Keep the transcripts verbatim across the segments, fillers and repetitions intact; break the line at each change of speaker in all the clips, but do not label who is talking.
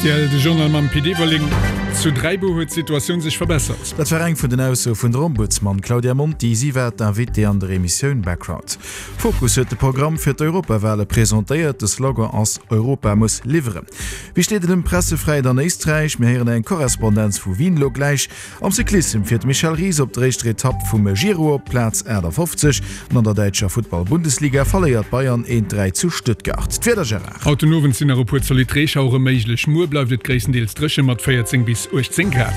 Rtl, De Journal mam Pit Everling. Zu Dräibuer huet d'Situatioun sech verbessert.
Dat war eng vun den Aussoe vun der Ombudsman Claudia Monti. Si war d'Invitée an der Emissioun Background. Fokus huet de Programm fir d'Europawale presentéiert. De Slogan ass Europa muss liwweren. Wéi steet et ëm d'Pressefräiheet an Éisträich? Mir héieren eng Korrespondenz vu Wien elo gläich. Am Cyclissem fiert de Michel Ries op der éischter Etapp vum Giro op Plaz aachtafofzeg an an der däitscher Futtball-Bundesliga verléiert Bayern eent, dräi zu Stuttgart. D'Wieder, Gérard.
Haut den Owend sinn nach e puer zolidd Reeschauere méiglech. Muer bleift et gréisstendeels dréche mat véierzéng bis uechtzéng Grad.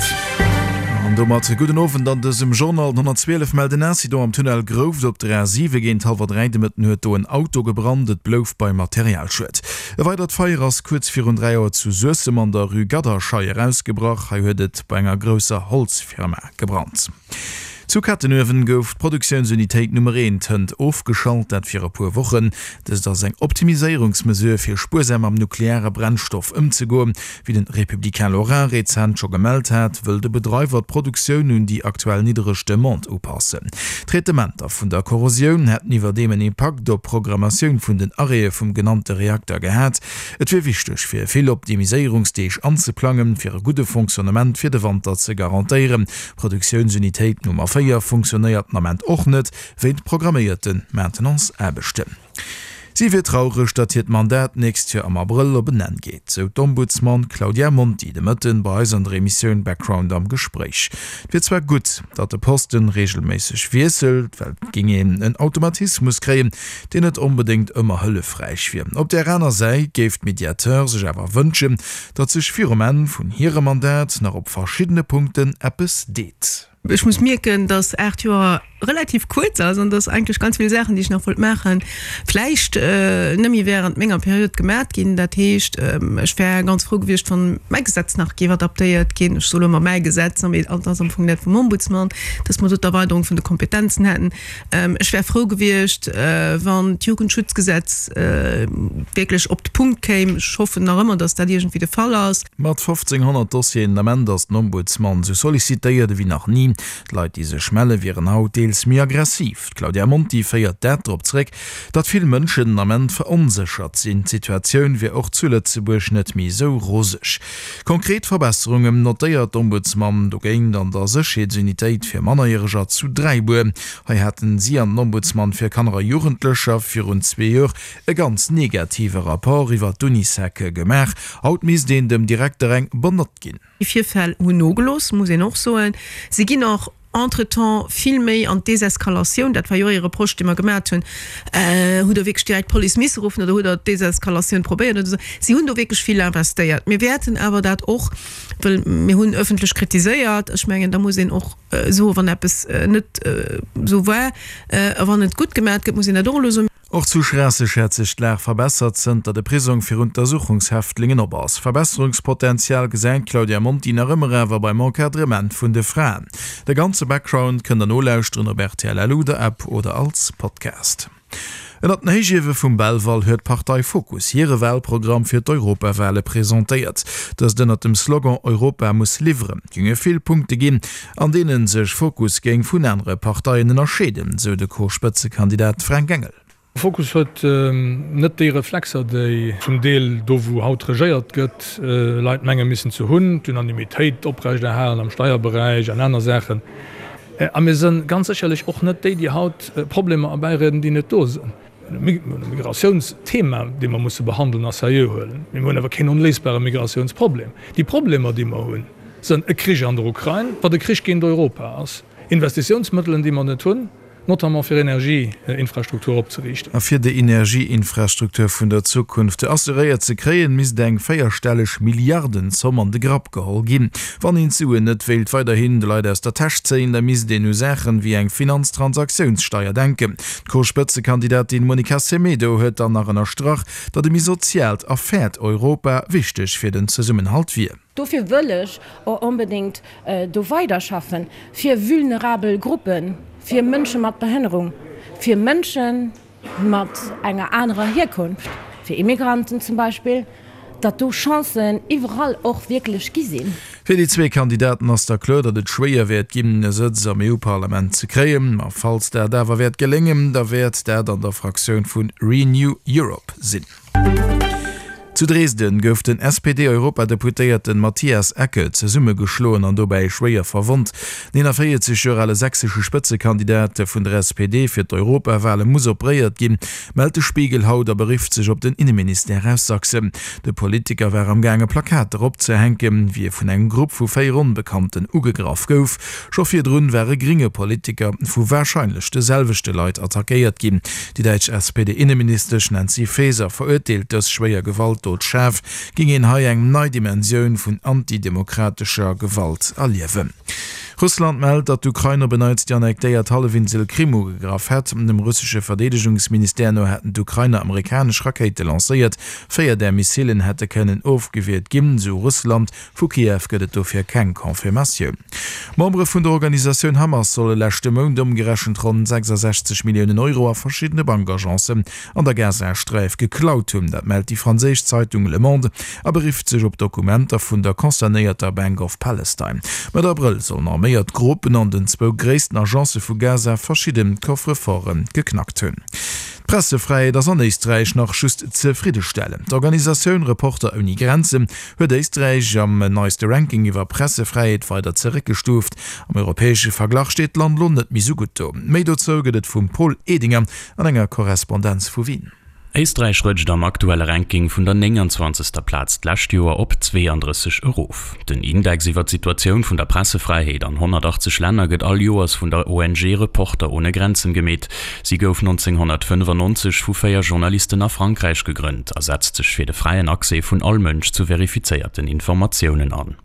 An domat gudden Owend an dësem Journal. Den honnertzwielef mellt en Incident am Tunnel Grouft op der A siwe. Géint hallwer dräi de Mëtten huet do en Auto gebrannt. Et blouf bei Materialschued. E weidert Feier ass kuerz virun dräi Auer zu Suessem an der Rue Gadderscheier ausgebrach. Hei huet et bei enger grousser Holzfirma gebrannt. Zu Kettenuewen gouf d'Produktiounsunitéit Nummer eent hënt ofgeschalt, dat fir e puer Wochen. Dëst ass eng Optimiséierungsmesure fir spuersam mam nukleare Brennstoff ëmzegoen. Wéi den Républicain Lorrain rezent scho gemellt hat, wëll de Bedreiwer d'Produktioun un déi aktuell niddereg Demande upassen. D'Traitementer vun der Korrosioun hätten iwwerdeem en Impakt op d'Programmatioun vun den Arrêtë vum genannte Reakter gehat. Et wier wichteg fir vill Optimiséierungsdeeg anzeplangen, fir e gudde Fonctionnement fir de Wanter ze garantéieren. D'Produktiounsunitéit Nummer véier funktionéiert den Ament och net, wéint programméierte Maintenance-Aarbechten. Si wier traureg, datt hiert Mandat d'nächst Joer am Abrëll op en Enn geet, sou d'Ombudsman Claudia Monti de Mëtten bei eis an der Emissioun Background am Gespréich. Et wier zwar gutt, datt de Posten reegelméisseg wiesselt, well et géing een en Automatismus kréien, deen net onbedéngt ëmmer hëllefräich wier. Op där aner Säit géif d'Mediateur sech awer wënschen, datt sech virum Enn vun hirem Mandat nach op verschiddene Punkten eppes deet.
Ech muss mierken, dass aacht Joer relativ kuerz ass an dass eigentlech ganz vill Saachen, déi ech nach wollt maachen, vläicht net méi während menger Period gemat ginn. Dat heescht, ech wär ganz frou gewiescht, wann mäi Gesetz nach géif adaptéiert ginn. Ech soe lo emmer mäi Gesetz, mee et ass am Fong dat vum Ombudsman, dass mer do d'Erweiderung vun de Kompetenzen hätten. Ech wär frou gewiescht, wann d'Jugendschutzgesetz wierklech op de Punkt kéim. Ech hoffen nach ëmmer, dass dat iergendwéi de Fall ass.
Mat fofzénghonnert Dossieren den Ament ass den Ombudsman esou sollicitéiert ewéi nach ni. D'Leit, déi sech melle wieren haut deels méi aggressiv. D'Claudia Monti féiert dat drop zeréck, datt vill Mënschen den Ament veronséchert sinn. D'Situatioun wier och zu Lëtzebuerg net méi esou roseg. Konkret Verbesserungen notéiert d'Ombudsman dogéint an der Sécherheetsunitéit fir Mannerjäreger zu Dräibuer. Hei haten si an den Ombudsman fir Kanner a Jugendlecher virun zwee Joer e ganz negative Rapport iwwer d'Unisec gemaach. Haut misst een dem Direkter eng bonne Note ginn.
Déi Virfäll hunn nogelooss, muss een och soen. Si ginn och entretemps vill méi an d'Deseskalatioun. Dat war jo och ee Reproche, dee mer gemat hunn, Hutt Der wierklech direkt d'Police misse ruffen oder hutt Der d'Deseskalatioun probéiert oder esou? Si hunn do wierklech vill investéiert. Mir wäerten awer dat och, well mir hunn ëffentlech kritiséiert, ech mengen, da muss een och soen, wann eppes net esou war, a wann et gutt gemat gëtt, muss een dat och elo soen.
Och zu Schraasseg hätt sech d'Lag verbessert, zënter de Prisong fir Untersuchungshäftlingen op ass. Verbesserungspotenzial gesäit d'Claudia Monti nach ëmmer awer beim Encadrement vun de Fraen. De ganze Background kënnt der nolauschteren op rtl L U, der App oder als Podcast. Ënnert den Héichiewe vum Belval huet d'Partei Fokus hire Walprogramm fir d'Europawale presentéiert. Dëst ënnert dem Slogan Europa muss liwweren. Et géinge vill Punkte ginn, an deene sech Fokus géing vun anere Parteien ënnerscheeden, sou de Co-Spëtzekandidat Fränk Engel.
Fokus huet net déi Reflexer, déi zum Deel do wou haut regéiert gëtt, Leit menge missen ze hunn, d'Unanimitéit oprechterhalen am Steierberäich an aner Saachen. A mir sënn ganz sécherlech och net déi, déi haut Problemer erbäirieden, déi net do sënn. Mir hunn e Migratiounsthema, dee mer musse behandeln a seriö huelen, mee mir hunn awer keen onléisbare Migratiounsproblem. Déi Problemer, déi mer hunn, sënn e Krich an der Ukrain, wat e Krich géint Europa ass, Investitiounsmëttelen, déi mer net hunn, notamment fir Energieinfrastruktur opzeriichten.
A fir déi Energieinfrastruktur vun der Zukunft assuréiert ze kréien, misst eng véierstelleg Milliardenzomm an de Grapp geholl ginn. Wann een d'Suen net wéilt weiderhin de Leit aus der Täsch zéien, da misst een u Saachen wéi eng Finanztransaktiounssteier denken. D'Co-Spëtzekandidatin Monica Semedo huet dann nach ënnerstrach, datt e méi soziaalt a fairt Europa wichteg fir den Zesummenhalt wier.
Dofir wëll ech och onbedéngt do weiderschaffen, fir vulnerabel Gruppen, fir Mënsche mat Behënnerung, fir Mënsche mat enger anerer Hierkonft, fir Immigranten zum Beispill, datt do Chancen iwwerall och wierklech gi sinn.
Fir déi zwee Kandidaten ass da kloer, datt et schwéier wäert ginn, e Sëtz am E U-Parlament ze kréien. Ma falls dat awer wäert geléngen, da wäert dat an der Fraktioun vu Renew Europe sinn. Zu Dresden gouf den S P D-Europadeputéierten Matthias Eckel zesummegeschloen an dobäi schwéier verwonnt. Den eenanvéierzeg Joer ale sächsesche Spëtzekandidat vun der S P D fir d'Europawale muss operéiert ginn, mellt de Spiegel haut a berifft sech op den Inneministère aus Sachsen. De Politiker war am Gaange Plakater opzehänken, wéi e vun engem Grupp vu véier Onbekannten ugegraff gouf. Scho virdrun war e grénge Politiker vu warscheinlech de selwechte Leit attackéiert ginn. Déi däitsch S P D-Inneministesch Nancy Faeser verurteelt dës schwéier Gewalt dot schaarf, géing een hei eng nei Dimensioun vun antidemokratescher Gewalt erliewen. Russland mellt, datt d'Ukrain op en Neits déi annektéiert Hallefinsel Krim ugegraff hätt. Dem russesche Verdeedegungsministère no hätten d'Ukrainer amerikanesch Rakéite lancéiert. Véier där Missilen hätte kënnen ofgewiert ginn, sou Russland. Vu Kiew gëtt et dofir keng Confirmatioun. Membere vun der Organisatioun Hamas solle leschte Mount ëmgerechent ronn sechsasechzeg Milliounen Euro a verschiddene Bankagencen an der Gazasträif geklaut hunn. Dat mellt déi franséisch Zeitung Le Monde a berifft sech op Dokumenter vun der concernéierter Bank of Palestine. Mëtt Abrëll sollen arméiert Gruppen an den zwou gréissten Agence vu Gaza verschidde Coffre-forte geknackt hunn. D'Pressefräiheet ass an Éisträich nach just zefriddestellend. D'Organisatioun Reporter ouni Grenzen huet Éisträich am neiste Ranking iwwer Pressefräiheet weider zeréckgestuuft. Am europäesche Verglach steet d'Land lo net méi sou gutt do. Méi dozou gëtt et vum Paul Edinger an enger Korrespondenz vu Wien.
Éisträich rëtscht am aktuelle Ranking vun der nénganzwanzegster Plaz d'lescht Joer op zweeandrësseg erof. Den Index iwwer d'Situatioun vun der Pressefräiheet an honnertachtzeg Länner gëtt all Joers vun der O N G Reporter ohne Grenzen gemeet. Si gouf neunzehnhundertfünfundneunzig vu véier Journalisten a Frankräich gegrënnt a setzt sech fir de fräien Accès vun all Mënsch zu verifizéierten Informatiounen an.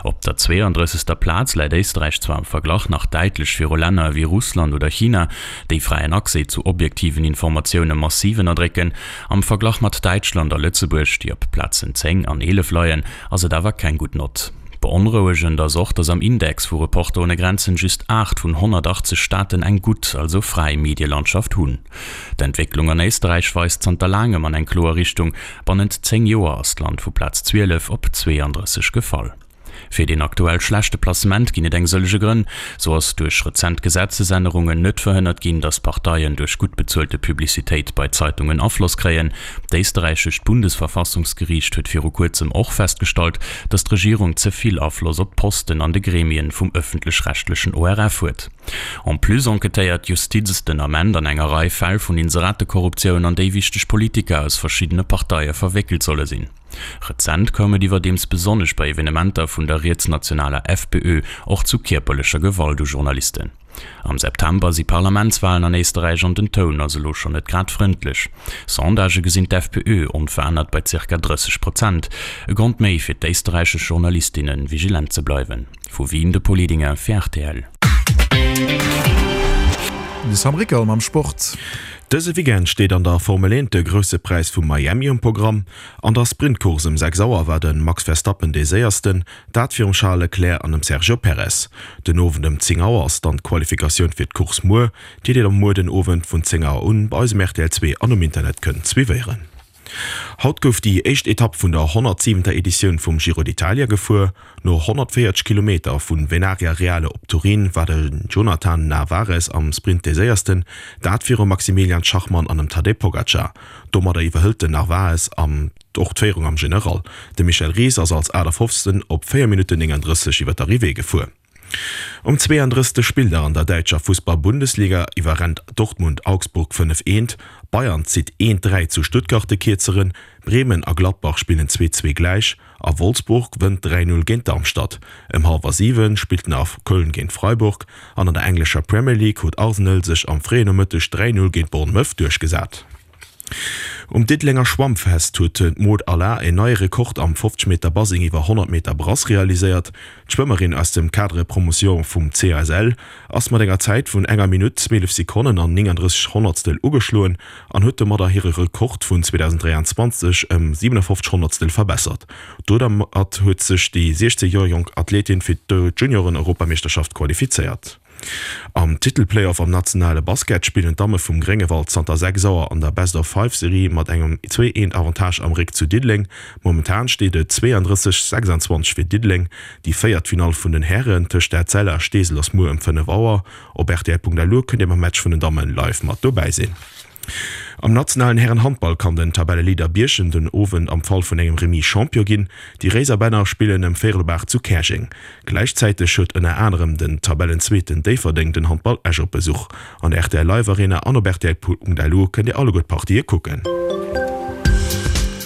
Op der zweeandrëssegster Plaz läit Éisträich zwar am Verglach nach däitlech viru Länner wéi Russland oder China, déi fräien Accès zu objektiven Informatioune massiv ënnerdrécken. Am Verglach mat Däitschland a Lëtzebuerg, déi op Plazen zéng an eelef leien, ass et awer keng gutt Nott. Beonrouegend ass och, datt am Index vu Reporter ohne Grenzen just aacht vun honnertachtzeg Staaten eng gutt, also fräi Medielandschaft hunn. D'Entwécklung an Éisträich weist zanter laangem an eng kloer Richtung. Bannent zéng Joer ass d'Land vu Plaz zwielef op zweeandrësseg gefall. Fir den aktuell schlechte Placement ginn et eng sëllege Grënn. So ass duerch rezent Gesetzesännerungen net verhënnert ginn, datt Parteien duerch gutt bezuelte Publicitéit bei Zeitungen Afloss kréien. D'österreichischt Bundesverfassungsgericht huet viru kuerzem och festgestallt, datt d'Regierung ze vill Afloss op d'Posten an de Gremien vum ëffentlech-rechtlechen O R F huet. En plus enquêtéiert d'Justiz den Ament an enger Rei Fäll vun Inseratekorruptioun, an déi wichteg Politiker aus verschiddene Parteie verwéckelt solle sinn. Rezent koum et iwwerdeems besonnesch bei Evenementer vun der rietsnationaler F P Ö och zu kierperlecher Gewalt u Journalisten. Am September si Parlamentswahlen an Éisterräich an den Toun ass elo schonn net grad frëndlech. Sondage gesinn d'F P Ö onverännert bei zirka drësseg Prozent. E Grond méi fir d'éisterräichesch Journalistinnen vigilent ze bleiwen. Vu Wien de Paul Edinger fir R T L.
De Sam Rickel mam Sport.
Dëse Weekend steet an der Formel eent de grousse Präis vu Miami um Programm. An der Sprintkurs um sechs Auer war den Max Verstappen de séiersten, dat virum Charles Leclerc an dem Sergio Perez. Den Owend um zéng Auer ass dann d'Qualifikatioun fir d'Course muer, déi Dir am muer den Owend vun zéng Auer un bei eisem R T L zwee an um Internet kënnt suivéieren. Haut gouf déi éischt Etapp vun der honnertsiwenter Editioun vum Giro d'Italia gefuer. No honnertvéierzeg Kilometer vun Venaria Reale op Turin war de Jonathan Narvaez am Sprint de séiersten, dat virum Maximilian Schachmann an dem Tadej Pogacar. Domadder iwwerhëlt den Narvaez am och d'Féierung am General. De Michel Ries ass als achtundfünfzigsten op véier Minutten nénganddrësseg iwwer d'Arrivée gefuer. Um zweeandrëssegste Spilldag an der däitscher Fußball-Bundesliga iwwerrennt Dortmund Augsburg fënnef eent, Bayern zitt eent dräi zu Stuttgart de Kierzeren, Bremen a Gladbach spillen zwee zwee gläich a Wolfsburg wënnt dräi null géint Darmstadt. Ëm hallwer siwen spillt den A F Köln géint Freiburg an an der englescher Premier League huet Arsenal sech am fréien Nomëtteg dräi null géint Bournemouth duerchgesat. Um Diddelenger Schwammfest huet d'Maud Allard en neie Rekord am fofzeg Meter Basing iwwer honnert Meter Brass realiséiert. D'Schwëmmerin aus dem Cadre Promotion vum C A S L ass mat enger Zäit vun enger Minutt zwielef Sekonnen an nénganddrësseg Honnertstel ugeschloen an huet domadder hire Rekord vun zweetausenddräiandzwanzeg ëm siewenundfünfzig Honnertstel verbessert. Domat huet sech déi siechzehn Joer jonk Athletin fir d'Junioren-Europameeschterschaft qualifizéiert. Am Titelplayoff am nationale Basket spillen d'Damme vum Gréngewald zanter sechs Auer an der Best-of-Five-Serie mat engem zwee eent Avantage am Réck zu Diddeleng. Momentan steet et zweeandrësseg sechsundzwanzeg fir Diddeleng. Déi Véiertfinall vun den Herren tëscht der Zeller a Steesel ass muer ëm fënnef Auer. Op R T L Punkt L U kënnt Dir beim Match vun den Dammen live mat dobäi sinn. Am nationalen Härenhandball kann den Tabelleleader Bierchem den Owend am Fall vun engem Remis Champion ginn. Déi Réiserbänner spillen ëm véierel op aacht zu Käerjeng. Gläichzäiteg huet ënner anerem den Tabellenzweeten Déifferdeng den Handball Esch op Besuch. An der rtl Live Arena an op rtl.lu kënnt Dir alleguer d'Partië kucken.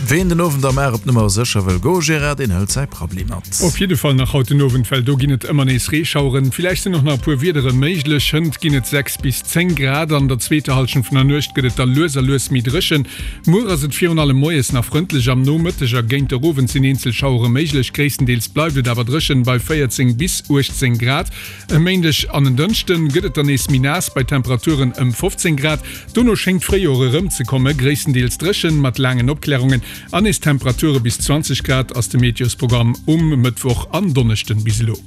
Ween den Owend am Mar op Nummer sécher wëll goen, Gérard, deen hëlt säi Prabbeli mat.
Op jidde Fall nach haut den Owend, well do ginn et ëmmer nees Reeschaueren. Villäicht sinn och nach e puer Wiedere méiglech. Hënt ginn et sechs bis zéng Grad. An der zweeter Hallschent vun der Nuecht gëtt et da lues a lues méi dréchen. Muer ass et virun allem moies nach frëndlech, am Nomëtteg a géint der Owend sinn eenzel Schauere méiglech. Gréisstendeels bleift et awer dréchen bei véierzéng bis uechtzéng Grad. E Méindeg an en Dënschden gëtt et dann nees méi naass bei Temperaturen ëm fofzéng Grad. Dono schéngt d'Fréijoer erëmzekomme, gréisstendeels dréchen mat laangen Opklärungen an nees Temperature bis zwanzeg Grad ass de Meteosprogramm um Mëttwoch an Donneschden bis elo.